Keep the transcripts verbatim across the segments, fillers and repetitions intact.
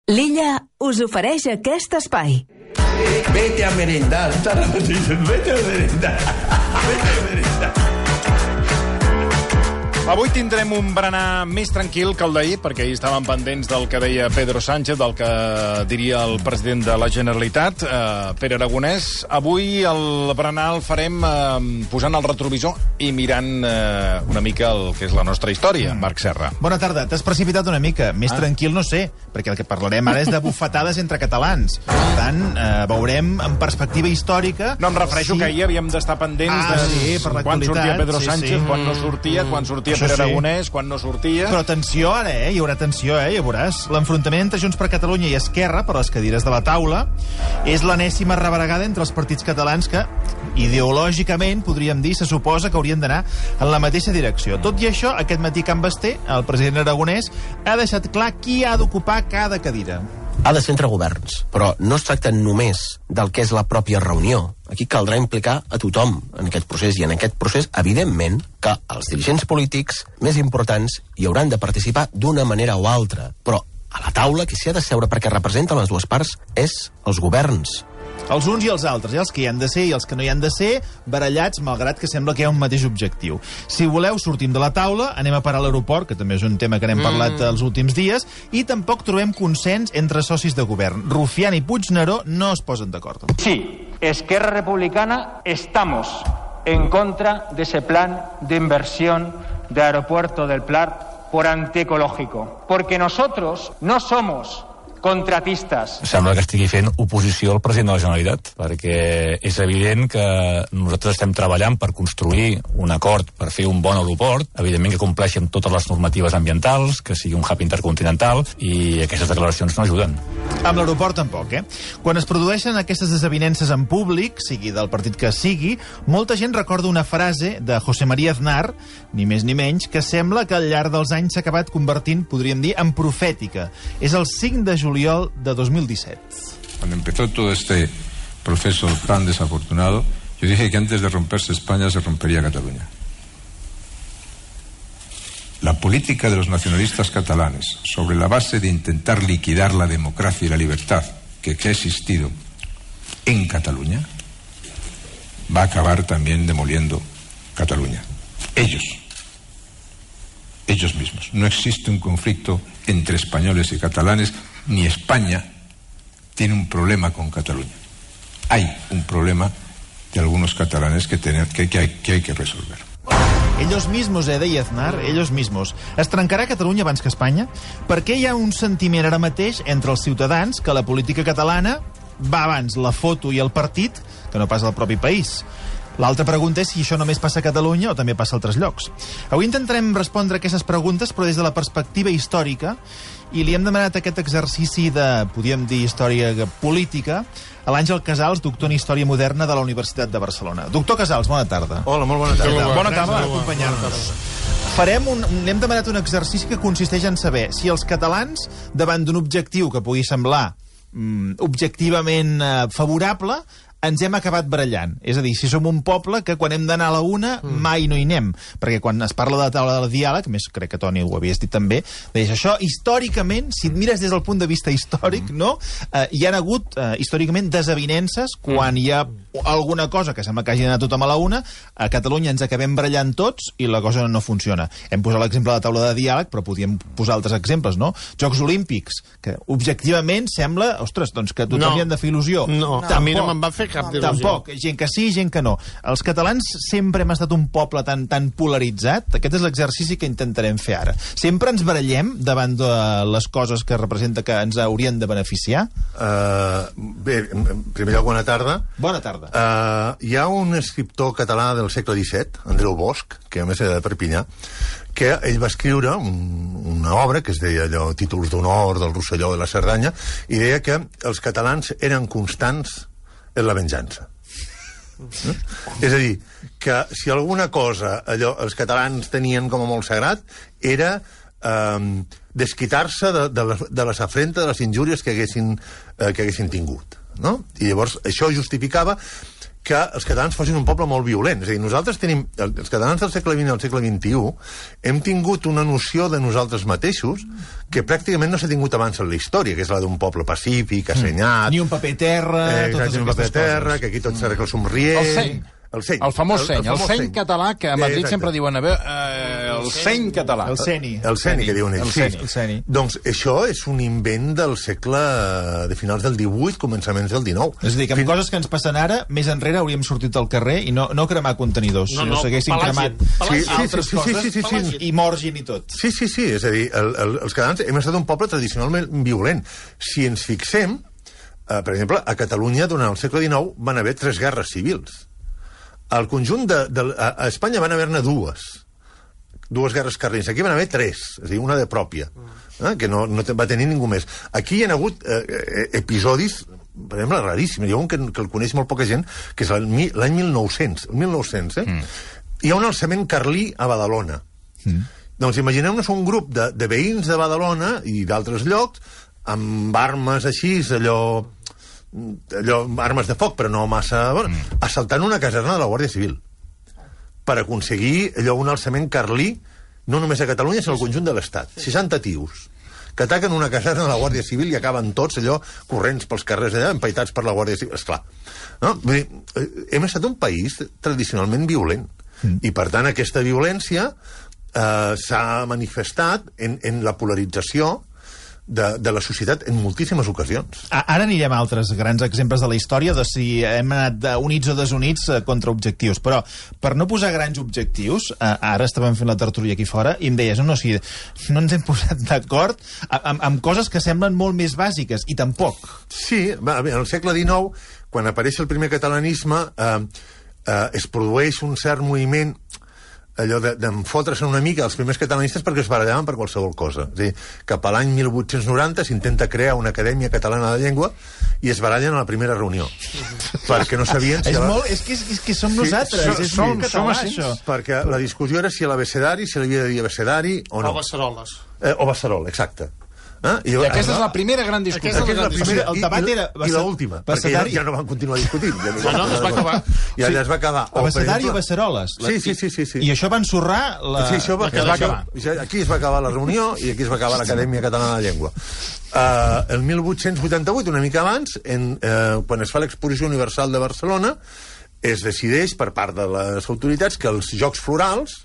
L'Illa us ofereix aquest espai. Vete a merendar, vete a merendar, vete a merendar. Avui tindrem un berenar més tranquil que el d'ahir, perquè ahir estàvem pendents del que deia Pedro Sánchez, del que diria el president de la Generalitat, eh, Pere Aragonès. Avui el berenar el farem eh, posant el retrovisor i mirant eh, una mica el que és la nostra història, mm. Marc Serra. Bona tarda. T'has precipitat una mica. Més ah. tranquil no sé, perquè el que parlarem ara és de bufetades entre catalans. Per tant, eh, veurem en perspectiva històrica... No, em refereixo sí. que ahir havíem d'estar pendents ah, de sí, per quan sortia Pedro sí, Sánchez, sí. quan no sortia, mm. quan sortia Això Pere sí. Aragonès, quan no sortia... Però atenció ara, eh? Hi haurà atenció, eh? Ja veuràs. L'enfrontament entre Junts per Catalunya i Esquerra, per les cadires de la taula, és l'enèsima rebregada entre els partits catalans que, ideològicament, podríem dir, se suposa que haurien d'anar en la mateixa direcció. Tot i això, aquest matí Can Basté, el president aragonès, ha deixat clar qui ha d'ocupar cada cadira. Ha de ser entre governs, però no es tracta només del que és la pròpia reunió. Aquí caldrà implicar a tothom en aquest procés, i en aquest procés, evidentment, que els dirigents polítics més importants hi hauran de participar d'una manera o altra. Però a la taula, qui s'hi ha de seure perquè representen les dues parts és els governs. Els uns i els altres, eh? Els que hi han de ser i els que no hi han de ser, barallats, malgrat que sembla que hi ha un mateix objectiu. Si voleu, sortim de la taula, anem a parar a l'aeroport, que també és un tema que n'hem mm. parlat els últims dies, i tampoc trobem consens entre socis de govern. Rufián i Puigneró no es posen d'acord. Sí, Esquerra Republicana estamos en contra de ese plan de inversión de Aeropuerto del Prat por antiecológico, porque nosotros no somos contratistes. Sembla que estigui fent oposició al president de la Generalitat, perquè és evident que nosaltres estem treballant per construir un acord per fer un bon aeroport, evidentment que compleixi amb totes les normatives ambientals, que sigui un hub intercontinental, i aquestes declaracions no ajuden. Amb l'aeroport tampoc, eh? Quan es produeixen aquestes desavinences en públic, sigui del partit que sigui, molta gent recorda una frase de José María Aznar, ni més ni menys, que sembla que al llarg dels anys s'ha acabat convertint, podríem dir, en profètica. És el cinc de juliol de dos mil disset. Cuando empezó todo este proceso tan desafortunado, yo dije que antes de romperse España se rompería Cataluña. La política de los nacionalistas catalanes, sobre la base de intentar liquidar la democracia y la libertad que, que ha existido en Cataluña, va a acabar también demoliendo Cataluña. Ellos. Ellos mismos. No existe un conflicto entre españoles y catalanes, ni España tiene un problema con Cataluña. Hay un problema de algunos catalanes que, tener, que, que, hay, que hay que resolver. Ellos mismos, eh, deia Aznar, ellos mismos. Es trencarà Catalunya abans que Espanya? Per què hi ha un sentiment ara mateix entre els ciutadans que la política catalana va abans la foto i el partit que no pas al propi país? L'altra pregunta és si això només passa a Catalunya o també passa a altres llocs. Avui intentarem respondre aquestes preguntes, però des de la perspectiva històrica, i li hem demanat aquest exercici de, podríem dir, història política, a l'Àngel Casals, doctor en Història Moderna de la Universitat de Barcelona. Doctor Casals, bona tarda. Hola, molt bona tarda. Bona, bona tarda per acompanyar-nos. Farem un, n'hem demanat un exercici que consisteix en saber si els catalans, davant d'un objectiu que pugui semblar mm, objectivament eh, favorable, ens hem acabat barallant. És a dir, si som un poble que quan hem d'anar a la una mm. mai no hi anem. Perquè quan es parla de la taula del diàleg, més crec que Toni ho havies dit també, deies això, històricament, si et mires des del punt de vista històric, mm. no? Eh, hi ha hagut, eh, històricament, desavinences quan mm. hi ha alguna cosa que sembla que hagi d'anar tothom a la una, a Catalunya ens acabem barallant tots i la cosa no funciona. Hem posat l'exemple de la taula de diàleg, però podíem posar altres exemples, no? Jocs Olímpics, que objectivament sembla, ostres, doncs que a tothom no. li han de fer il·lusió. No, Tampoc. a mi no me'n va fer cap il·lusió. Tampoc, gent que sí, gent que no. Els catalans sempre hem estat un poble tan tan polaritzat. Aquest és l'exercici que intentarem fer ara. Sempre ens barallem davant de les coses que representa que ens haurien de beneficiar? Uh, bé, en primer lloc, bona tarda. Bona tarda. Uh, hi ha un escriptor català del segle disset, Andreu Bosch, que a més era de Perpinyà, que ell va escriure un, una obra que es deia allò, Títols d'honor del Rosselló de la Cerdanya, i deia que els catalans eren constants en la venjança. Eh? És a dir, que si alguna cosa allò, els catalans tenien com a molt sagrat era eh, desquitar-se de, de, les, de les afrentes, de les injúries que haguessin, eh, que haguessin tingut. no? I llavors això justificava que els catalans fossin un poble molt violent. És a dir, nosaltres tenim, els catalans del segle vint i al segle vint-i-u, hem tingut una noció de nosaltres mateixos que pràcticament no s'ha tingut abans en la història, que és la d'un poble pacífic, assenyat... Ni un paper terra, eh, totes ni un paper aquestes terra, coses. que aquí tot s'arregla somrient... El seny. El seny. El famós seny, el, el, el seny català, que a Madrid Exacte. sempre diuen a veure, eh, el seny català. El seni. El seni, que diuen ells. El Sí. seni. El seni. Doncs això és un invent del segle de finals del divuit, començaments del dinou. És a dir, que amb Fin- coses que ens passen ara, més enrere hauríem sortit al carrer i no, no cremar contenidors, No, no, no, s'haguessin pelàgien, cremat pelàgien. Sí, sí, altres sí, sí, coses sí, sí, sí, sí. i morgin i tot. Sí, sí, sí, és a dir, el, el, els catalans hem estat un poble tradicionalment violent. Si ens fixem, eh, per exemple, a Catalunya, durant el segle dinou, van haver tres guerres civils. Al conjunt de... de a, a Espanya van haver-ne dues. Dues guerres carlines. Aquí van haver tres, és a dir, una de pròpia, eh, que no, no te- va tenir ningú més. Aquí hi ha hagut eh, eh, episodis, per exemple, raríssims. Hi ha un que, que el coneix molt poca gent, que és l'any mi- l'any mil nou-cents. El mil nou-cents, eh? Mm. Hi ha un alçament carlí a Badalona. Mm. Doncs imagineu-nos un grup de, de veïns de Badalona i d'altres llocs amb armes així, allò... allò, armes de foc, però no massa... Bueno, mm. assaltant una caserna de la Guàrdia Civil per aconseguir allò, un alçament carlí, no només a Catalunya, sinó al conjunt de l'Estat. seixanta tios que ataquen una caserna de la Guàrdia Civil i acaben tots allò corrents pels carrers allà, empaitats per la Guàrdia Civil. Esclar, no? Vull dir, hem estat un país tradicionalment violent. Mm. I, per tant, aquesta violència eh, s'ha manifestat en, en la polarització de, de la societat en moltíssimes ocasions. A- Ara anirem a altres grans exemples de la història de si hem anat de units o desunits eh, contra objectius, però per no posar grans objectius, eh, ara estàvem fent la tertúlia aquí fora i em deies, no, no, si no ens hem posat d'acord amb, amb coses que semblen molt més bàsiques, i tampoc. Sí, va, bé, al segle dinou, quan apareix el primer catalanisme, eh, eh, es produeix un cert moviment allò d'enfotre's una mica els primers catalanistes perquè es barallaven per qualsevol cosa. És a dir, cap a l'any mil vuit-cents noranta s'intenta crear una acadèmia catalana de llengua i es barallen a la primera reunió. perquè no sabien si... És, la... molt, és, que, és, és que som Sí, nosaltres, som- és som- molt som català, així. això. Perquè la discussió era si l'abecedari, si l'havia de dir abecedari o no. O Beceroles. Eh, o Basserol, exacte. Eh? I aquesta és la primera gran discussió. Aquesta és la Aquesta és la primera, El i, debat i, era i l'última, perquè ja, ja no van continuar discutint. Ja No, no, es va acabar. Ja, ja es va acabar. O, per Abecedari o exemple- Beceroles? Sí, sí, sí, sí, sí. I això va ensorrar la... Sí, això va, la es va quedació. acabar. Això- Aquí es va acabar la reunió i aquí es va acabar l'Acadèmia Catalana de Llengua. Uh, el mil vuit-cents vuitanta-vuit, una mica abans, en, uh, quan es fa l'Exposició Universal de Barcelona, es decideix per part de les autoritats que els Jocs Florals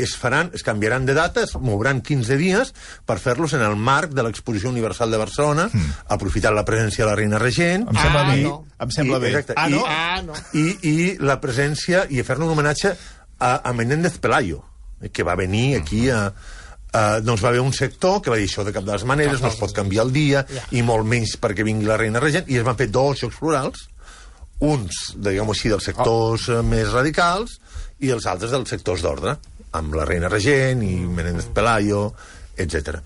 es faran, es canviaran de data, es mouran quinze dies per fer-los en el marc de l'Exposició Universal de Barcelona, mm. aprofitant la presència de la reina regent. Em sembla Ah, bé. no. Em sembla I, bé. exacte, Ah, no? I, Ah, no. I, i la presència, i a fer-ne un homenatge a, a Menéndez Pelayo, que va venir aquí a... Uh, doncs va haver un sector que va dir això de cap de les maneres, no es pot canviar el dia, i molt menys perquè vingui la reina regent, i es van fer dos Jocs Florals, uns, diguem-ho així, dels sectors oh. més radicals, i els altres dels sectors d'ordre, amb la reina regent i Menéndez Pelayo, etcètera.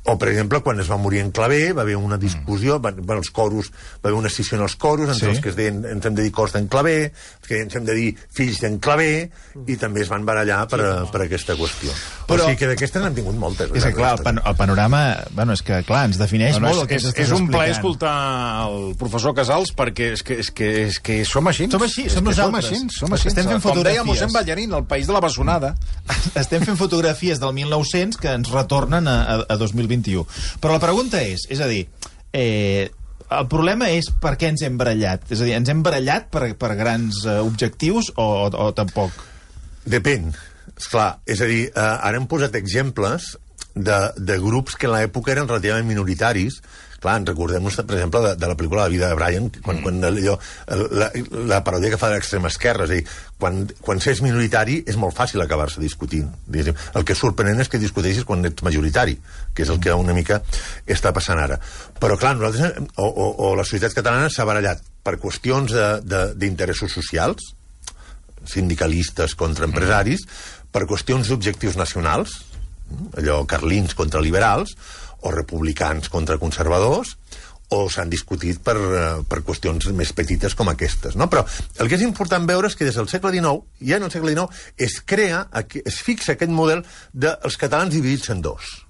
O, per exemple, quan es va morir en Clavé, va haver una discussió, van, bueno, els coros, va haver una escissió en els coros, entre Sí. els que es deien, ens hem de dir cors d'en Clavé, els que ens hem de dir fills d'en Clavé, i també es van barallar per, a, per aquesta qüestió. Però, Però- o sigui que d'aquestes n'hem tingut moltes. És que, clar, el, pan el panorama... Bueno, és que, clar, ens defineix No, no, molt el que és, ens és, estàs és un plaer explicant. escoltar el professor Casals perquè és que, és que, és que som així. Som així, És som que nosaltres. Som així, som així. Estem fent Com deia fotografies. mossèn Ballarín, el país de la bessonada. Estem fent fotografies del mil nou-cents que ens retornen a, a, a dos mil vint-i-u. Però la pregunta és, és a dir, eh, el problema és per què ens hem barallat. És a dir, ens hem barallat per, per grans eh, objectius o, o, o tampoc? Depèn. Esclar, és a dir, eh, ara hem posat exemples de, de grups que en l'època eren relativament minoritaris. Clar, ens recordem-nos, per exemple, de, de la pel·lícula La vida de Brian, quan, quan allò, la, la paròdia que fa de l'extrema esquerra, és a dir, quan, quan s'és minoritari és molt fàcil acabar-se discutint. Diguéssim. El que és sorprenent és que discuteixis quan ets majoritari, que és el que una mica està passant ara. Però, clar, nosaltres, o, o, o la societat catalana s'ha barallat per qüestions d'interessos socials, sindicalistes contra empresaris, per qüestions d'objectius nacionals, allò carlins contra liberals, o republicans contra conservadors, o s'han discutit per, uh, per qüestions més petites com aquestes, no? Però el que és important veure és que des del segle dinou, ja en el segle dinou, es crea, es fixa aquest model dels catalans dividits en dos.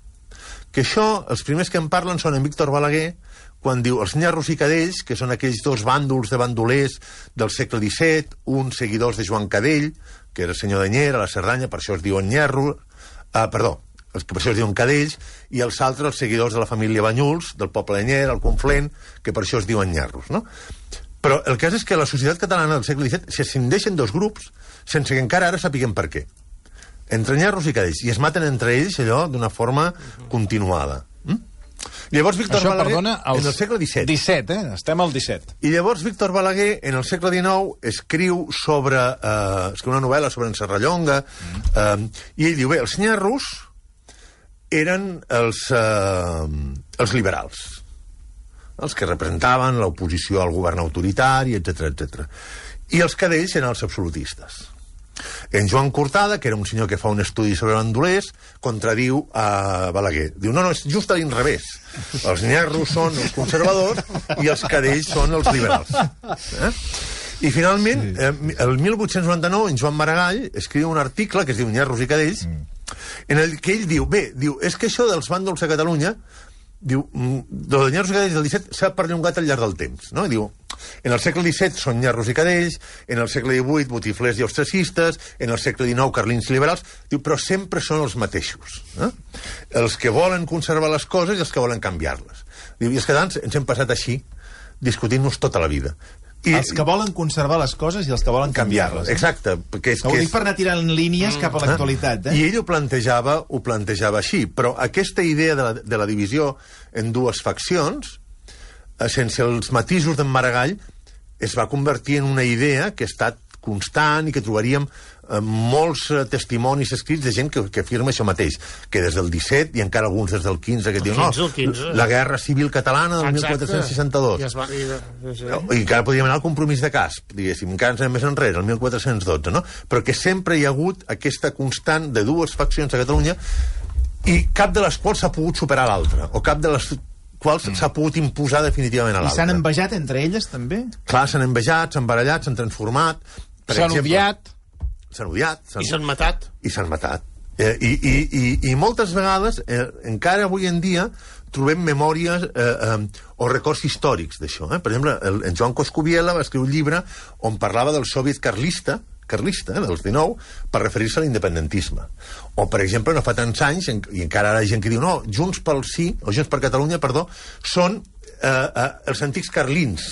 Que això, els primers que en parlen són en Víctor Balaguer, quan diu els nyarros i cadells, que són aquells dos bàndols de bandolers del segle disset, uns seguidors de Joan Cadell, que era senyor d'Anyera, a la Cerdanya, per això es diuen nyarros, ah, perdó, els que per això es diuen cadells, i els altres, els seguidors de la família Banyuls, del poble d'Anyera, el Conflent, que per això es diuen nyarros, no? Però el cas és que la societat catalana del segle disset s'escindeixen dos grups sense que encara ara sapiguem per què. Entre nyarros i cadells, i es maten entre ells allò d'una forma continuada. Mm? Llavors Víctor Això, Balaguer, perdona, els... en el segle disset. disset, eh? Estem al disset. I llavors Víctor Balaguer, en el segle dinou, escriu sobre... Eh, escriu una novel·la sobre en Serrallonga, mm. eh, i ell diu, bé, els nyarros eren els, eh, els liberals, els que representaven l'oposició al govern autoritari, etcètera, etcètera. I els cadells eren els absolutistes. En Joan Cortada, que era un senyor que fa un estudi sobre bandolers, contradiu a Balaguer. Diu, no, no, és just a l'inrevés. Els nyarros són els conservadors i els cadells són els liberals. Eh? I finalment, eh, el mil vuit-cents noranta-nou, en Joan Maragall escriu un article que es diu Nyarros i cadells, en el que ell diu, bé, diu, és que això dels bàndols a Catalunya, diu, de nyarros i cadells del disset s'ha perllongat al llarg del temps, no? Diu, en el segle disset són nyarros i cadells, en el segle divuit botiflers i ostracistes, en el segle dinou carlins i liberals, diu, però sempre són els mateixos, eh? Els que volen conservar les coses i els que volen canviar-les. Diu, i els catalans ens hem passat així, discutint-nos tota la vida. I, els que volen conservar les coses i els que volen canviar-les. Eh? Exacte. Perquè és, ho que dic és... per anar tirant línies mm. cap a l'actualitat. Eh? I ell ho plantejava, ho plantejava així, però aquesta idea de la, de la divisió en dues faccions, eh, sense els matisos d'en Maragall, es va convertir en una idea que ha estat constant i que trobaríem eh, molts eh, testimonis escrits de gent que, que afirma això mateix, que des del disset i encara alguns des del quinze, que diuen, no, quinze. La guerra civil catalana del mil quatre-cents seixanta-dos. I, va, i, sí. I encara podríem anar al compromís de Casp, diguéssim, encara ens anem més enrere, el mil quatre-cents dotze, no? Però que sempre hi ha hagut aquesta constant de dues faccions a Catalunya i cap de les quals s'ha pogut superar l'altra, o cap de les quals mm. s'ha pogut imposar definitivament a l'altra. I s'han envejat entre elles, també? Clar, s'han envejat, s'han barallat, s'han transformat. S'han odiat. S'han odiat. I s'han matat. I s'han matat. Eh, i, i, i, I moltes vegades, eh, encara avui en dia, trobem memòries eh, eh, o records històrics d'això. Eh? Per exemple, el, en Joan Coscubiela va escriure un llibre on parlava del soviet carlista, carlista, eh, dels dinou, per referir-se a l'independentisme. O, per exemple, no fa tants anys, en, i encara ara hi ha gent que diu, no, Junts pel Sí, o Junts per Catalunya, perdó, són eh, eh, els antics carlins,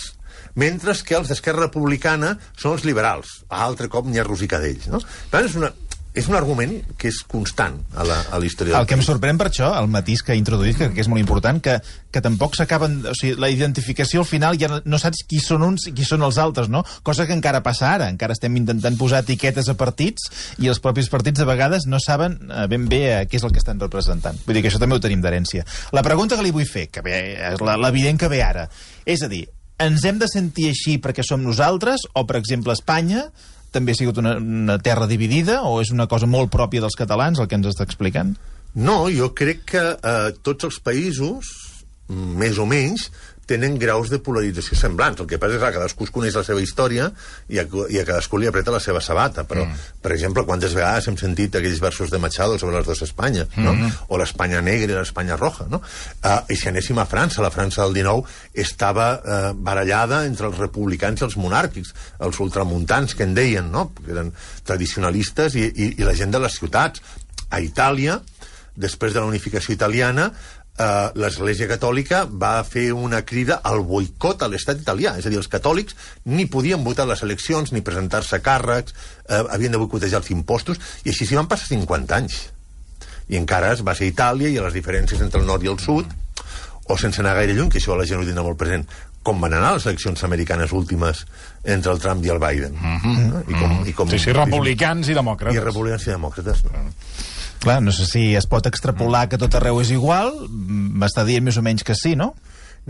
mentre que els d'Esquerra Republicana són els liberals, a altre cop nyarros i cadells, no? Per tant, és una, és un argument que és constant a la, a la història. El que em sorprèn per això, el matís que ha introduït, que, que és molt important, que, que tampoc s'acaben... O sigui, la identificació al final ja no saps qui són uns i qui són els altres, no? Cosa que encara passa ara. Encara estem intentant posar etiquetes a partits i els propis partits de vegades no saben ben bé què és el que estan representant. Vull dir que això també ho tenim d'herència. La pregunta que li vull fer, que ve, és l'evident que ve ara, és a dir, ens hem de sentir així perquè som nosaltres, o, per exemple, Espanya també ha sigut una, una terra dividida, o és una cosa molt pròpia dels catalans, el que ens està explicant? No, jo crec que eh, tots els països, més o menys, tenen graus de polarització semblants. El que passa és que cadascú es coneix la seva història i a, i a cadascú li apreta la seva sabata. Però, mm. per exemple, quantes vegades hem sentit aquells versos de Machado sobre les dues Espanyes, no? Mm-hmm. O l'Espanya negra i l'Espanya roja, no? Uh, I si anéssim a França, la França del dinou estava uh, barallada entre els republicans i els monàrquics, els ultramuntans, que en deien, no? Que eren tradicionalistes i, i, i la gent de les ciutats. A Itàlia, després de la unificació italiana, Uh, l'Església Catòlica va fer una crida al boicot a l'estat italià, és a dir, els catòlics ni podien votar les eleccions ni presentar-se a càrrecs, uh, havien de boicotejar els impostos, i així s'hi van passar cinquanta anys, i encara es va ser Itàlia, i a les diferències entre el nord i el sud, o sense anar gaire lluny, que això la gent ho tindrà molt present, com van anar les eleccions americanes últimes entre el Trump i el Biden. Mm-hmm. I com, i com, sí, sí, republicans i demòcrates. I republicans i demòcrates. No? Clar, no sé si es pot extrapolar que tot arreu és igual, m'està dient més o menys que sí, no?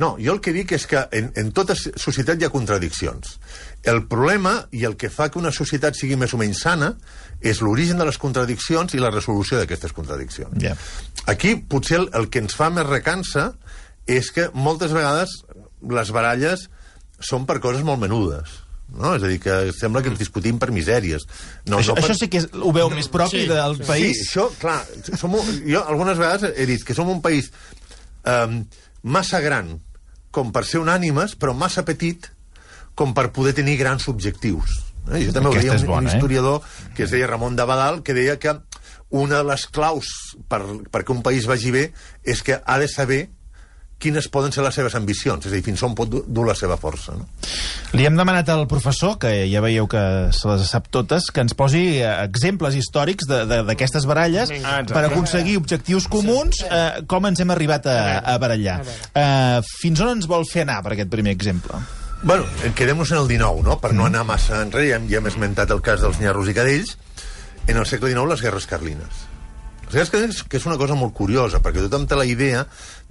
No, jo el que dic és que en, en tota societat hi ha contradiccions. El problema, i el que fa que una societat sigui més o menys sana, és l'origen de les contradiccions i la resolució d'aquestes contradiccions. Yeah. Aquí, potser el, el que ens fa més recança és que moltes vegades les baralles són per coses molt menudes. No? És a dir, que sembla que ens discutim per misèries. No, això, no per... això sí que és, ho veu més propi sí, del país? Sí, això, clar, som un, jo algunes vegades he dit que som un país um, massa gran com per ser unànimes, però massa petit com per poder tenir grans objectius. Eh? Jo també ho deia un, bona, un historiador eh? que es deia Ramon de Badal, que deia que una de les claus per, perquè un país vagi bé és que ha de saber quines poden ser les seves ambicions, és a dir, fins on pot dur la seva força. No? Li hem demanat al professor, que ja veieu que se les sap totes, que ens posi exemples històrics d'aquestes baralles ah, per aconseguir objectius comuns, eh, com ens hem arribat a, a barallar. Eh, fins on ens vol fer anar per aquest primer exemple? Bueno, quedem-nos en el dinou, no? Per no anar massa enrere, ja hem, ja hem esmentat el cas dels nyarros i cadells. En el segle dinou, les guerres carlines. Les guerres carlines, que és una cosa molt curiosa, perquè tothom té la idea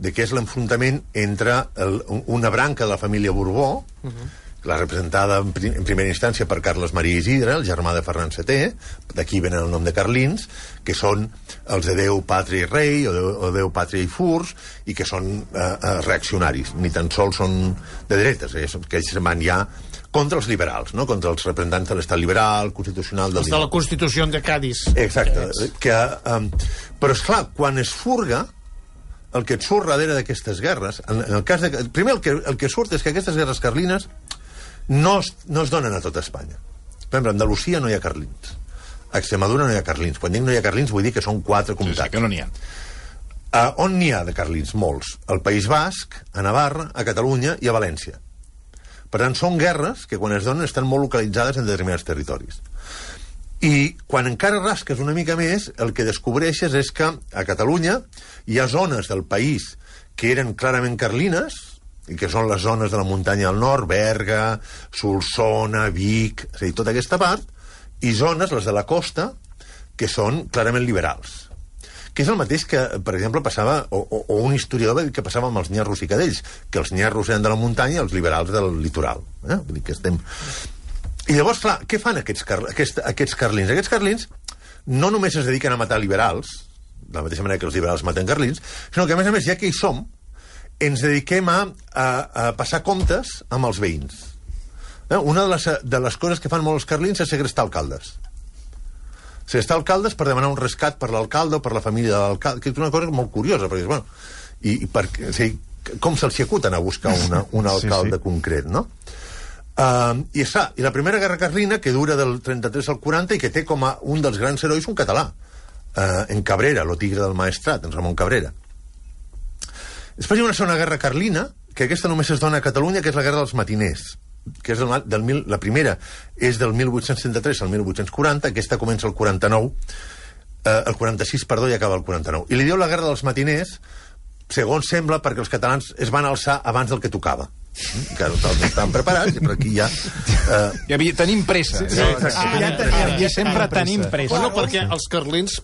de que és l'enfrontament entre el, una branca de la família Borbó, uh-huh. la representada en, prim, en primera instància per Carles Maria Isidre, el germà de Ferran setè, d'aquí venen el nom de carlins, que són els de Déu, Pàtria i Rei, o Déu, o Déu Pàtria i Furs, i que són eh, eh, reaccionaris, ni tan sols són de dretes, eh, que ells van ja contra els liberals, no? Contra els representants de l'estat liberal, constitucional... Els de la Constitució de Cádiz. Exacte. Que, um, però, esclar, quan es furga, el que et surt darrere d'aquestes guerres, en, en el cas de... Primer, el que, el que surt és que aquestes guerres carlines no es, no es donen a tota Espanya. Per exemple, a Andalusia no hi ha carlins. A Extremadura no hi ha carlins. Quan dic no hi ha carlins vull dir que són quatre comtats. Sí, sí, que no n'hi ha. Uh, on n'hi ha de carlins? Molts. Al País Basc, a Navarra, a Catalunya i a València. Per tant, són guerres que quan es donen estan molt localitzades en determinats territoris. I quan encara rasques una mica més, el que descobreixes és que a Catalunya hi ha zones del país que eren clarament carlines, i que són les zones de la muntanya al nord, Berga, Solsona, Vic, és a dir, tota aquesta part, i zones, les de la costa, que són clarament liberals. Que és el mateix que, per exemple, passava, o, o, o un historiador va dir que passava amb els nyarros i cadells, que els nyarros eren de la muntanya i els liberals del litoral. Eh? Vull dir que estem... I llavors, clar, què fan aquests, car aquests, aquests carlins? Aquests carlins no només es dediquen a matar liberals, de la mateixa manera que els liberals maten carlins, sinó que, a més a més, ja que hi som, ens dediquem a, a, a passar comptes amb els veïns. Eh? Una de les, de les coses que fan molts carlins és segrestar alcaldes. Segrestar alcaldes per demanar un rescat per l'alcalde o per la família de l'alcalde, que és una cosa molt curiosa, perquè, bueno, i, i per, o sigui, com se'ls acuten a buscar una, un alcalde sí, sí. concret, no? Uh, i, està, I la primera guerra carlina, que dura del trenta-tres al quaranta i que té com a un dels grans herois un català, uh, en Cabrera, lo tigre del Maestrat, en Ramon Cabrera. Després hi ha una segona guerra carlina, que aquesta només es dona a Catalunya, que és la guerra dels matiners, que és del, del mil, la primera és del mil vuit-cents trenta-tres al mil vuit-cents quaranta, aquesta comença el quaranta-nou, eh, el quaranta-sis, perdó, i acaba el quaranta-nou. I li diu la guerra dels matiners, segons sembla, perquè els catalans es van alçar abans del que tocava. Que nosaltres estàvem preparats, però aquí ja... Eh... Ja havia, tenim pressa. Sí, sí, ah, ja tenim, ja sempre tenim pressa. Bueno, perquè els carlins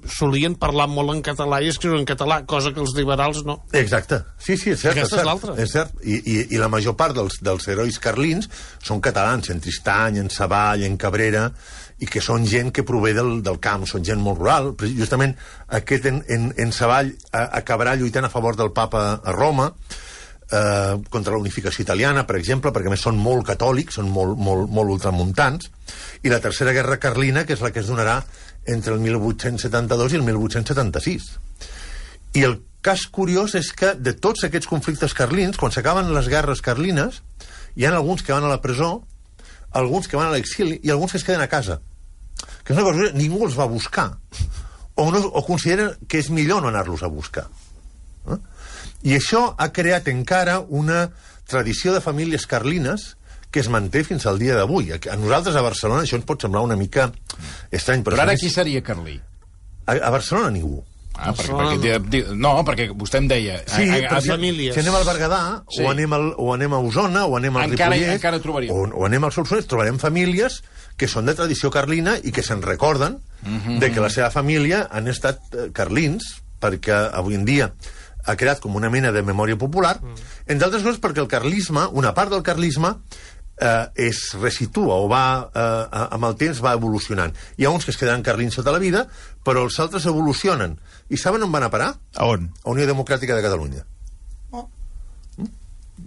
solien parlar molt en català i escriure en català, cosa que els liberals no. Exacte. Sí, sí, és cert. Aquesta és l'altra. És cert. I, i, I la major part dels, dels herois carlins són catalans, en Tristany, en Savall, en Cabrera, i que són gent que prové del, del camp, són gent molt rural. Justament aquest en, en, en Savall acabarà lluitant a favor del papa a Roma, Eh, contra la unificació italiana, per exemple, perquè a més són molt catòlics, són molt, molt, molt ultramuntants, i la tercera guerra carlina, que és la que es donarà entre el mil vuit-cents setanta-dos i el mil vuit-cents setanta-sis. I el cas curiós és que de tots aquests conflictes carlins, quan s'acaben les guerres carlines, hi ha alguns que van a la presó, alguns que van a l'exili i alguns que es queden a casa. Que és una cosa que ningú els va buscar, o, no, o consideren que és millor no anar-los a buscar. Eh? I això ha creat encara una tradició de famílies carlines que es manté fins al dia d'avui. A nosaltres, a Barcelona, això ens pot semblar una mica estrany. Però, però ara qui seria carlí? A, a Barcelona ningú. Ah, perquè, perquè, no, perquè vostè em deia... Sí, a, a, a famílies. Si anem al Berguedà, sí. o, anem al, o anem a Osona, o anem al encara, Ripollès, encara trobaríem. o, o anem al Solsonès, trobarem famílies que són de tradició carlina i que se'n recorden mm-hmm. de que la seva família han estat carlins, perquè avui en dia ha creat com una mena de memòria popular, mm. entre altres coses perquè el carlisme, una part del carlisme, eh, es resitua o va, eh, amb el temps va evolucionant. Hi ha uns que es queden carlins tota la vida, però els altres evolucionen. I saben on van a parar? A on? A Unió Democràtica de Catalunya. Oh. Mm?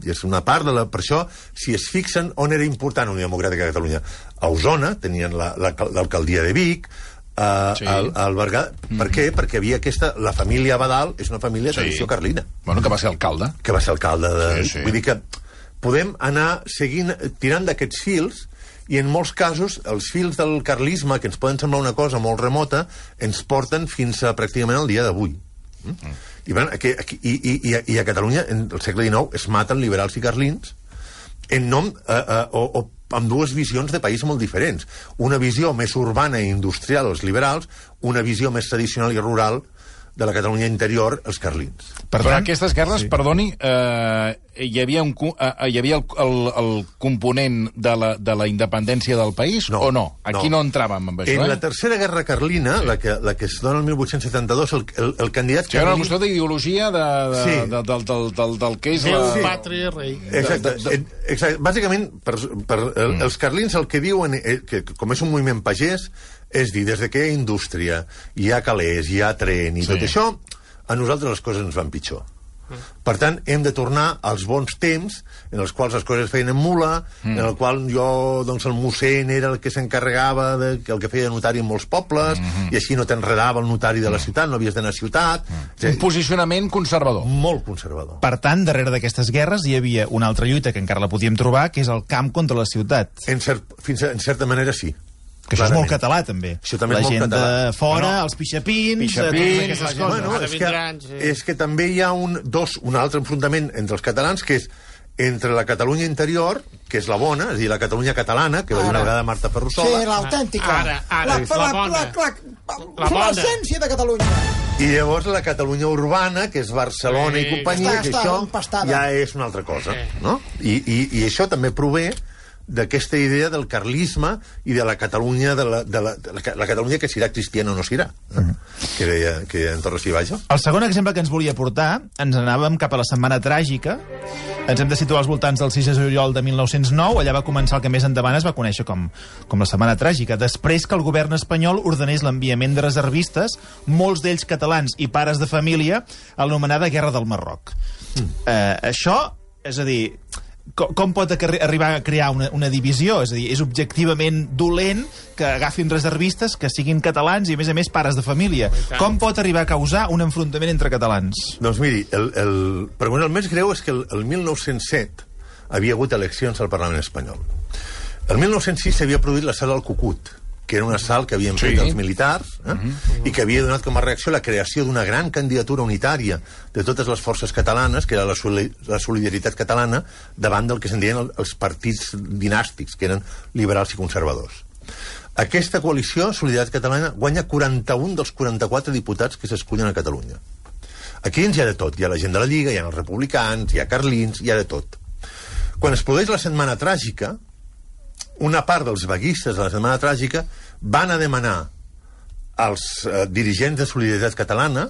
I és una part de la... Per això, si es fixen on era important Unió Democràtica de Catalunya, a Osona tenien l'alcaldia la, la, de Vic, Uh, Sí. al, al Berguedà. Per què? Perquè havia aquesta... La família Abadal és una família de Sí. tradició carlina. Bueno, que va ser alcalde. Que va ser alcalde de... Sí, sí. Vull dir que podem anar seguint, tirant d'aquests fils, i en molts casos els fils del carlisme, que ens poden semblar una cosa molt remota, ens porten fins a pràcticament el dia d'avui. Mm? Mm. I, bueno, aquí, aquí, i, i, i, I a Catalunya, en el segle dinou, es maten liberals i carlins en nom... Eh, eh, o, o amb dues visions de país molt diferents. Una visió més urbana i industrial, els liberals, una visió més tradicional i rural de la Catalunya interior, els carlins. Per Però tant, aquestes guerres, sí. perdoni, eh, hi havia, un, eh, hi havia el, el, el component de la, de la independència del país no, o no? Aquí no, no entràvem amb això, en eh? la tercera guerra carlina, sí. la, que, la que es dona el mil vuit-cents setanta-dos, el, el, el candidat... Sí, era una qüestió d'ideologia de, de, sí. de, del, del, del, del que és Déu, la... sí. Pàtria, rei. Exacte. De, de... Exacte. Bàsicament, per, per, el, mm. els carlins el que diuen, eh, que com és un moviment pagès, és dir, des de que hi ha indústria, hi ha calés, hi ha tren i sí. tot això, a nosaltres les coses ens van pitjor. Mm. Per tant, hem de tornar als bons temps en els quals les coses es feien en mula, mm. en el qual jo, doncs, el mossèn era el que s'encarregava de que el que feia notari en molts pobles, mm -hmm. i així no t'enredava el notari de la ciutat, no havies d'anar a ciutat. Mm. Un posicionament conservador. Molt conservador. Per tant, darrere d'aquestes guerres hi havia una altra lluita que encara la podíem trobar, que és el camp contra la ciutat. En, cert, fins a, en certa manera, sí. Que això clarament. És molt català, també. Això també la és molt gent català. de fora, no, no. els pixapins, pixapins aquestes coses. Bueno, és, que, és que també hi ha un, dos, un altre enfrontament entre els catalans, que és entre la Catalunya interior, que és la bona, és a dir, la Catalunya catalana, que va dir una vegada Marta Ferrusola. Sí, l'autèntica. Ara, ara, la, la, la, bona. La, la, la, l'essència de Catalunya. I llavors la Catalunya urbana, que és Barcelona sí. i companyia, està, que està això empastada. ja és una altra cosa, no? I, i, i això també prové d'aquesta idea del carlisme i de la Catalunya de la, de la, de la, la Catalunya que serà cristiana o no serà, eh? mm. que deia, que deia en Torres i Baixo. El segon exemple que ens volia portar, ens anàvem cap a la Setmana Tràgica, ens hem de situar als voltants del sis de juliol de mil nou-cents nou, allà va començar el que més endavant es va conèixer com, com la Setmana Tràgica, després que el govern espanyol ordenés l'enviament de reservistes, molts d'ells catalans i pares de família, a l'anomenada Guerra del Marroc. Mm. Eh, això, és a dir... Com, com pot arribar a crear una, una divisió? És a dir, és objectivament dolent que agafin reservistes que siguin catalans i, a més a més, pares de família. Com pot arribar a causar un enfrontament entre catalans? Doncs miri, el, el, per el més greu és que el, el mil nou-cents set havia hagut eleccions al Parlament espanyol. El mil nou-cents sis s'havia produït l'assalt al Cucut, que era un assalt que havien fet sí. els militars, eh? uh-huh. i que havia donat com a reacció la creació d'una gran candidatura unitària de totes les forces catalanes, que era la, soli la solidaritat catalana, davant del que se'n deien el, els partits dinàstics, que eren liberals i conservadors. Aquesta coalició, Solidaritat Catalana, guanya quaranta-un dels quaranta-quatre diputats que s'escullen a Catalunya. Aquí dins hi ha de tot. Hi ha la gent de la Lliga, hi ha els republicans, hi ha carlins, hi ha de tot. Quan es produeix la Setmana Tràgica, una part dels vaguistes de la Setmana Tràgica van a demanar als eh, dirigents de Solidaritat Catalana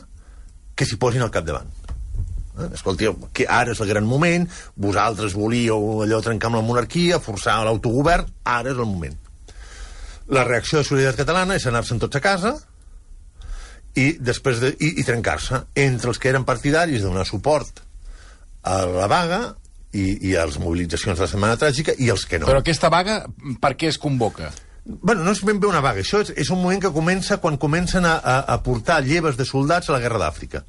que s'hi posin al capdavant. Eh? Escolteu, que ara és el gran moment, vosaltres volíeu allò trencar amb la monarquia, forçar l'autogovern, ara és el moment. La reacció de Solidaritat Catalana és anar-se'n tots a casa i, després de, i, i trencar-se entre els que eren partidaris de donar suport a la vaga i, i a les mobilitzacions de la Setmana Tràgica i els que no. Però aquesta vaga, per què es convoca? Bueno, no és ben bé una vaga. Això és, és un moment que comença quan comencen a, a, a portar lleves de soldats a la Guerra d'Àfrica.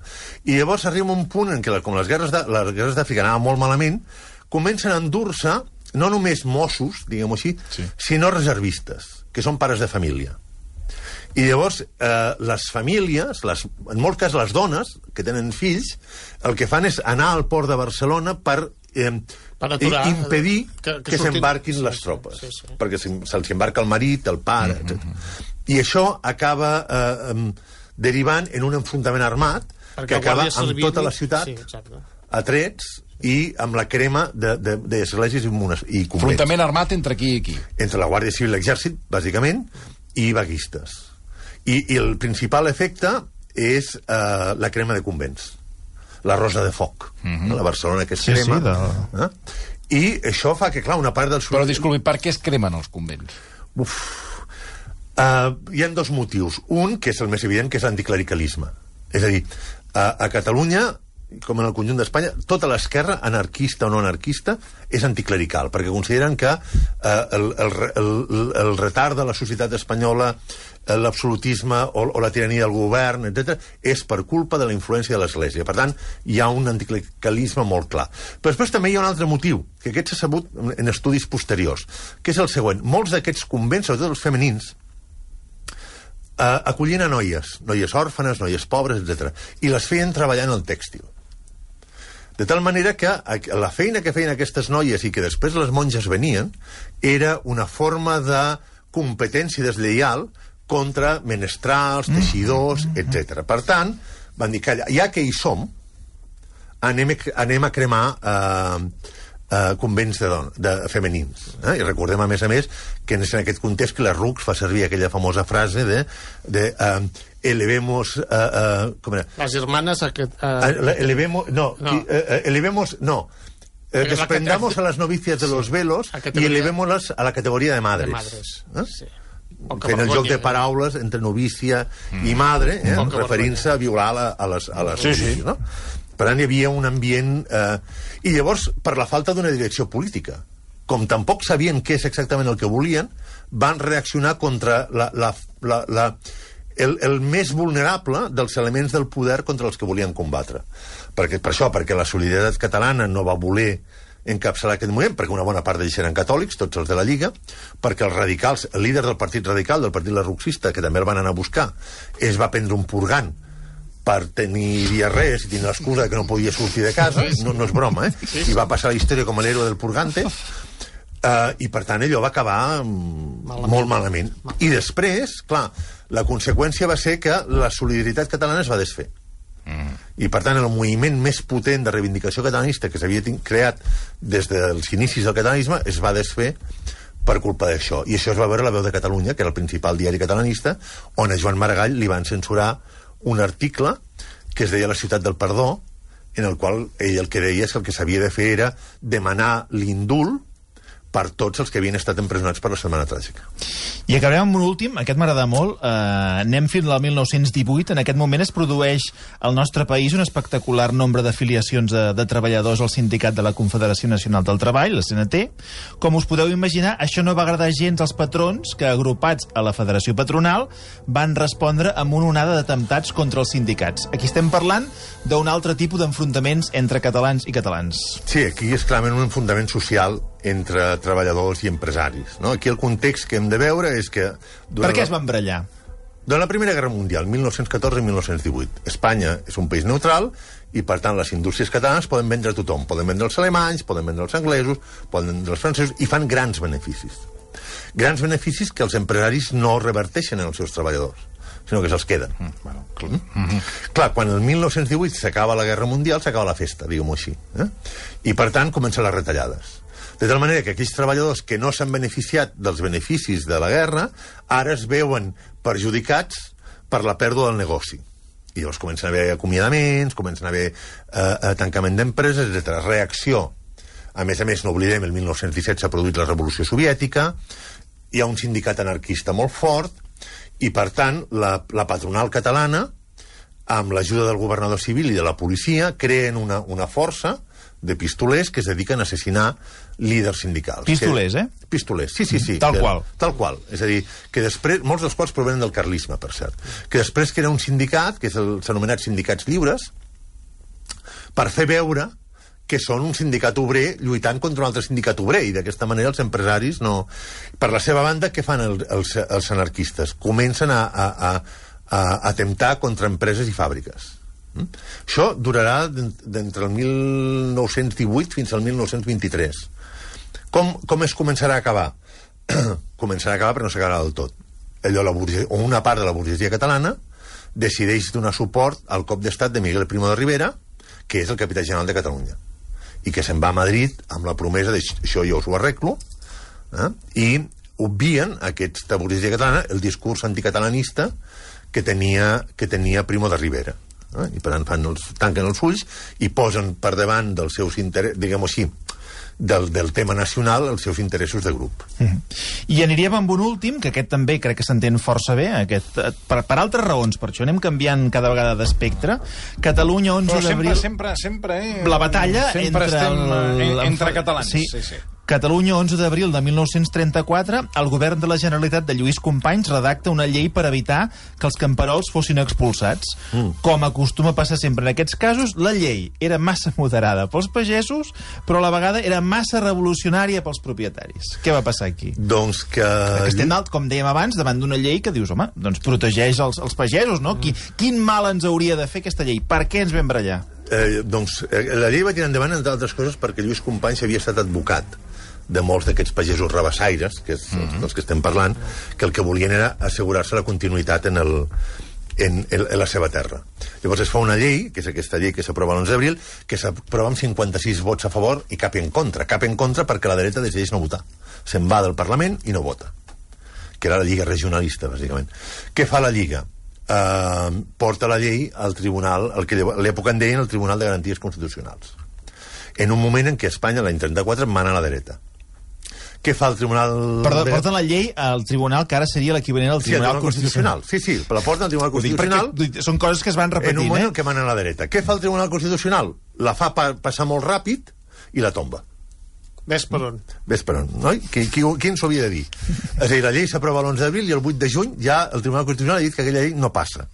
I llavors arriba un punt en què, com les guerres d'Àfrica anaven molt malament, comencen a endur-se no només Mossos, diguem-ho així, sí. sinó reservistes, que són pares de família. I llavors, eh, les famílies, les, en molts casos les dones, que tenen fills, el que fan és anar al port de Barcelona per, eh, per aturar, impedir que, que, que s'embarquin sí, les tropes. Sí, sí. Perquè se'ls embarca el marit, el pare, mm -hmm. etcètera. I això acaba eh, derivant en un enfrontament armat perquè que acaba amb tota la ciutat sí, a trets i amb la crema d'esglésies i, i convents. Enfrontament armat entre qui i qui? Entre la Guàrdia Civil i l'Exèrcit, bàsicament, i vaguistes. I, i el principal efecte és eh, la crema de convents. La Rosa de Foc, mm-hmm. la Barcelona que es sí, crema. Sí, de... eh? I això fa que, clar, una part dels... Però, disculpi, per què es cremen els convents? Uf. Uh, hi ha dos motius. Un, que és el més evident, que és l'anticlericalisme. És a dir, a, a Catalunya com en el conjunt d'Espanya, tota l'esquerra, anarquista o no anarquista, és anticlerical, perquè consideren que eh, el, el, el, el retard de la societat espanyola, l'absolutisme o, o la tirania del govern, etcètera, és per culpa de la influència de l'Església. Per tant, hi ha un anticlericalisme molt clar. Però després també hi ha un altre motiu, que aquest s'ha sabut en estudis posteriors, que és el següent. Molts d'aquests convents, sobretot els femenins, eh, acollien a noies, noies òrfanes, noies pobres, etcètera, i les feien treballar en el tèxtil. De tal manera que la feina que feien aquestes noies i que després les monges venien era una forma de competència deslleial contra menestrals, teixidors, etcètera. Per tant, van dir que ja que hi som, anem, anem a cremar eh, eh, convents de, don, de femenins. Eh? I recordem, a més a més, que en aquest context que la Rux fa servir aquella famosa frase de... de eh, elevemos... Uh, uh, com era? Las hermanas... Aquest, uh... uh, elevemos... No, no. Uh, uh, elevemos... No. Uh, desprendamos a las novicias de sí. los velos y elevémoslas a la categoría de madres. De madres, eh? sí. Fent el joc de paraules entre novícia mm. i madre, eh? referint-se a violar la, a les, a les sí, novícies, sí. no? Per tant, hi havia un ambient... Eh... I llavors, per la falta d'una direcció política, com tampoc sabien què és exactament el que volien, van reaccionar contra la... la, la, la El, el més vulnerable dels elements del poder contra els que volien combatre. Perquè, per això, perquè la Solidaritat Catalana no va voler encapçalar aquest moviment, perquè una bona part d'ells eren catòlics, tots els de la Lliga, perquè els radicals, el líder del partit radical, del partit larruxista, que també el van anar a buscar, es va prendre un purgant per tenir diarrees i tenir l'excusa que no podia sortir de casa, no, no és broma, eh? I va passar la història com l'héroe del purgante, Uh, i per tant allò va acabar malament. molt malament. I després, clar, la conseqüència va ser que la solidaritat catalana es va desfer. Mm. I per tant el moviment més potent de reivindicació catalanista que s'havia creat des dels inicis del catalanisme es va desfer per culpa d'això. I això es va veure a La Veu de Catalunya, que era el principal diari catalanista, on a Joan Maragall li van censurar un article que es deia La ciutat del perdó, en el qual ell el que deia és que el que s'havia de fer era demanar l'indult per tots els que havien estat empresonats per la Setmana Tràgica. I acabarem amb un últim, aquest m'agrada molt, eh, anem fins al mil nou-cents divuit, en aquest moment es produeix al nostre país un espectacular nombre d'afiliacions de, de treballadors al sindicat de la Confederació Nacional del Treball, la C N T. Com us podeu imaginar, això no va agradar gens als patrons que, agrupats a la Federació Patronal, van respondre amb una onada d'atemptats contra els sindicats. Aquí estem parlant d'un altre tipus d'enfrontaments entre catalans i catalans. Sí, aquí és clarament un enfrontament social entre treballadors i empresaris. No? Aquí el context que hem de veure és que... Per què es van barallar? Durant la Primera Guerra Mundial, mil nou-cents catorze i mil nou-cents divuit, Espanya és un país neutral i, per tant, les indústries catalanes poden vendre a tothom. Poden vendre els alemanys, poden vendre els anglesos, poden vendre els francesos, i fan grans beneficis. Grans beneficis que els empresaris no reverteixen en els seus treballadors, sinó que se'ls queden. Mm, bueno, clar. Mm -hmm. Clar, quan el mil nou-cents divuit s'acaba la Guerra Mundial, s'acaba la festa, diguem-ho així. Eh? I, per tant, comencen les retallades. De tal manera que aquells treballadors que no s'han beneficiat dels beneficis de la guerra ara es veuen perjudicats per la pèrdua del negoci. I llavors comencen a haver acomiadaments, comencen a haver eh, tancament d'empreses, etcètera. Reacció. A més a més, no oblidem, el mil nou-cents disset s'ha produït la Revolució Soviètica, hi ha un sindicat anarquista molt fort, i, per tant, la, la patronal catalana, amb l'ajuda del governador civil i de la policia, creen una, una força de pistolers que es dediquen a assassinar líders sindicals. Pistolers, que... eh? Pistolers, sí, sí, sí. Tal que... qual. Tal qual. És a dir, que després, molts dels quals provenen del carlisme, per cert, que després crea un sindicat, que s'ha anomenat Sindicats Lliures, per fer veure que són un sindicat obrer lluitant contra un altre sindicat obrer, i d'aquesta manera els empresaris no... Per la seva banda, què fan el, els, els anarquistes? Comencen a, a, a, a atemptar contra empreses i fàbriques. Mm? Això durarà d'entre el mil nou-cents divuit fins al mil nou-cents vint-i-tres. Com, com es començarà a acabar? Començarà a acabar però no s'acabarà del tot. Allò, la burgesia, o una part de la burgesia catalana decideix donar suport al cop d'estat de Miguel Primo de Rivera, que és el capità general de Catalunya, i que se'n va a Madrid amb la promesa de això jo us ho arreglo, eh? I obvien, aquesta burgesia catalana, el discurs anticatalanista que tenia, que tenia Primo de Rivera. Eh? I per tant fan els, tanquen els ulls i posen per davant dels seus interessos, diguem-ho així, del, del tema nacional, els seus interessos de grup. Mm-hmm. I aniríem amb un últim, que aquest també crec que s'entén força bé, aquest, per, per altres raons, per això anem canviant cada vegada d'espectre. Catalunya, onze d'abril... Sempre, sempre, sempre... Eh, la batalla sempre entre... estem el, el, entre catalans. Sí, sí, sí. Catalunya, onze d'abril de mil nou-cents trenta-quatre, el govern de la Generalitat de Lluís Companys redacta una llei per evitar que els camperols fossin expulsats. Mm. Com acostuma a passar sempre en aquests casos, la llei era massa moderada pels pagesos, però a la vegada era massa revolucionària pels propietaris. Què va passar aquí? Doncs que... Perquè estem, dalt, com dèiem abans, davant d'una llei que dius, home, doncs protegeix els, els pagesos, no? Mm. Qui, quin mal ens hauria de fer aquesta llei? Per què ens vam barallar? Eh, doncs eh, la llei va tirar endavant, entre altres coses, perquè Lluís Companys havia estat advocat de molts d'aquests pagesos rabassaires, que és mm-hmm. dels que estem parlant, que el que volien era assegurar-se la continuïtat en, el, en, en, en la seva terra. Llavors es fa una llei, que és aquesta llei que s'aprova l'onze d'abril, que s'aprova amb cinquanta-sis vots a favor i cap en contra. Cap en contra perquè la dreta decideix no votar. Se'n va del Parlament i no vota. Que era la Lliga Regionalista, bàsicament. Què fa la Lliga? Uh, porta la llei al tribunal, el que a l'època en deien el Tribunal de Garanties Constitucionals. En un moment en què Espanya, l'any trenta-quatre, mana a la dreta. Què fa el Tribunal... Perdó, porten la llei al Tribunal, que ara seria l'equivalent al Tribunal, sí, Constitucional. Constitucional. Sí, sí, la porten al Tribunal Constitucional. Perquè són coses que es van repetint, en un moment eh? que manen a la dreta. Què fa el Tribunal Constitucional? La fa pa passar molt ràpid i la tomba. Ves per on. Ves per on, no? Qui, qui, qui ens ho havia de dir? És a dir, la llei s'aprova l'onze d'abril i el vuit de juny ja el Tribunal Constitucional ha dit que aquella llei no passa.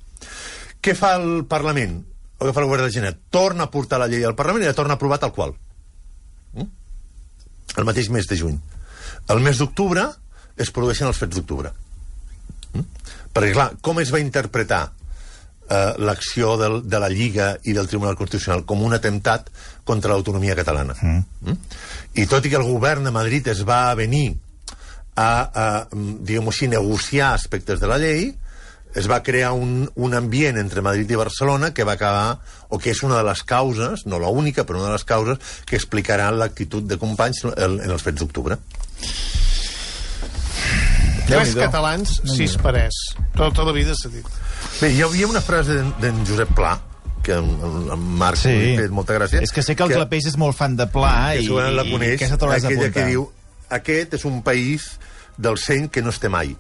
Què fa el Parlament? O què fa el Govern de la Generalitat? Torna a portar la llei al Parlament i la torna a aprovar tal qual. Mm? El mateix mes de juny. El mes d'octubre es produeixen els fets d'octubre. Mm? Perquè, clar, com es va interpretar eh, l'acció del, de la Lliga i del Tribunal Constitucional com un atemptat contra l'autonomia catalana? Mm. Mm? I tot i que el govern de Madrid es va venir a, a diguem-ho així, negociar aspectes de la llei, es va crear un, un ambient entre Madrid i Barcelona que va acabar, o que és una de les causes, no l'única, però una de les causes que explicaran l'actitud de Companys en, en els fets d'octubre. Tres catalans, sis parers. Tota la vida s'ha dit. Bé, hi havia una frase d'en Josep Pla, que en Marc sí. m'ha fet molta gràcia. És que sé que el Clapeix és molt fan de Pla que i, la coneix, i aquesta t'hauràs d'apuntar. Aquella que diu, aquest és un país del seny que no es té mai.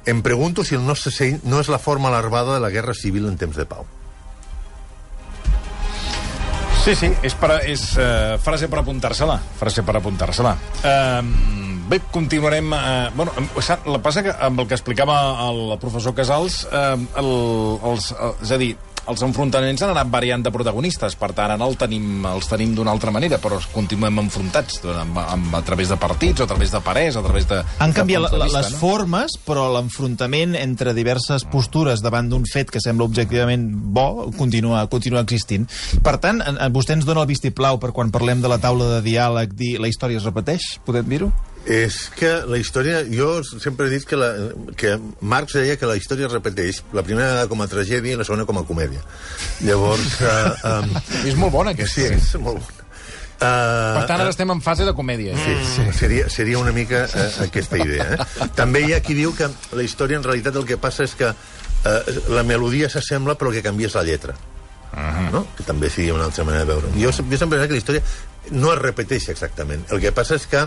Em pregunto si el nostre seny no és la forma larvada de la guerra civil en temps de pau. Sí, sí, és, per, és uh, frase per apuntar-se-la. Frase per apuntar-se-la. Uh, bé, continuarem... Uh, bueno, la passa que amb el que explicava el professor Casals, uh, el, els, uh, és a dir, els enfrontaments han anat variant de protagonistes, per tant, ara el tenim, els tenim d'una altra manera, però continuem enfrontats amb, amb, a través de partits, o a través de parers, o a través de... Han canviat de la, vista, les no? formes, però l'enfrontament entre diverses postures davant d'un fet que sembla objectivament bo continua, continua existint. Per tant, vostè ens dona el vistiplau per quan parlem de la taula de diàleg dir la història es repeteix? Podem dir-ho? És que la història... Jo sempre he dit que, la, que Marx deia que la història es repeteix la primera vegada com a tragèdia i la segona com a comèdia. Llavors... Uh, um, és molt bona, aquesta. Sí, és molt bona. Uh, per tant, ara uh, estem en fase de comèdia. Sí, sí, seria, seria una mica uh, aquesta idea. Eh? També hi ha qui diu que la història en realitat el que passa és que uh, la melodia s'assembla però el que canvia és la lletra. Uh-huh. No? Que també seria una altra manera de veure. Jo, jo sempre he dit que la història no es repeteix exactament. El que passa és que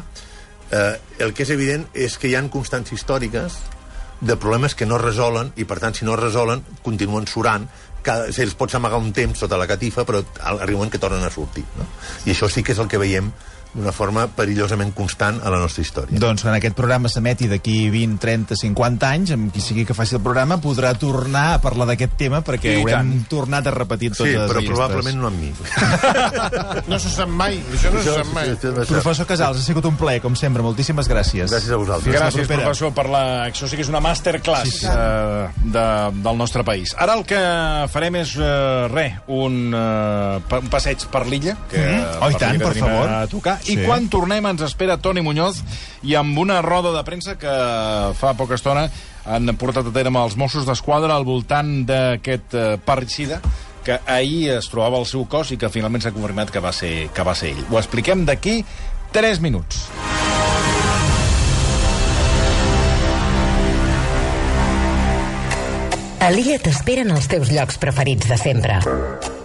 Eh, el que és evident és que hi ha constants històriques de problemes que no es resolen i, per tant, si no es resolen, continuen surant. Cada, se'ls pot amagar un temps sota la catifa, però arriben que tornen a sortir. No? I això sí que és el que veiem d'una forma perillosament constant a la nostra història. Doncs quan aquest programa s'emeti d'aquí vint, trenta, cinquanta anys, amb qui sigui que faci el programa, podrà tornar a parlar d'aquest tema perquè I haurem tant. tornat a repetir totes sí, les però llistes. Probablement no amb mi. No se sap mai, això no se sap mai. Professor Casals, ha sigut un plaer, com sempre. Moltíssimes gràcies. Gràcies a vosaltres. Gràcies, professor, per la... Això sí que és una masterclass sí, sí. Uh, de, del nostre país. Ara el que farem és, uh, res, un, uh, un passeig per l'illa, que mm. oh, i tant, per favor. A tocar. Sí. I quan tornem ens espera Toni Muñoz i amb una roda de premsa que fa poca estona han portat a terme els Mossos d'Esquadra al voltant d'aquest uh, parricida que ahir es trobava al seu cos i que finalment s'ha confirmat que va ser, que va ser ell. Ho expliquem d'aquí tres minuts. A l'Illa t'esperen els teus llocs preferits de sempre.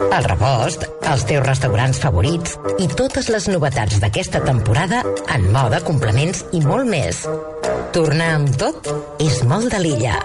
El Rebost, els teus restaurants favorits i totes les novetats d'aquesta temporada en moda, complements i molt més. Tornar amb tot és molt de l'Illa.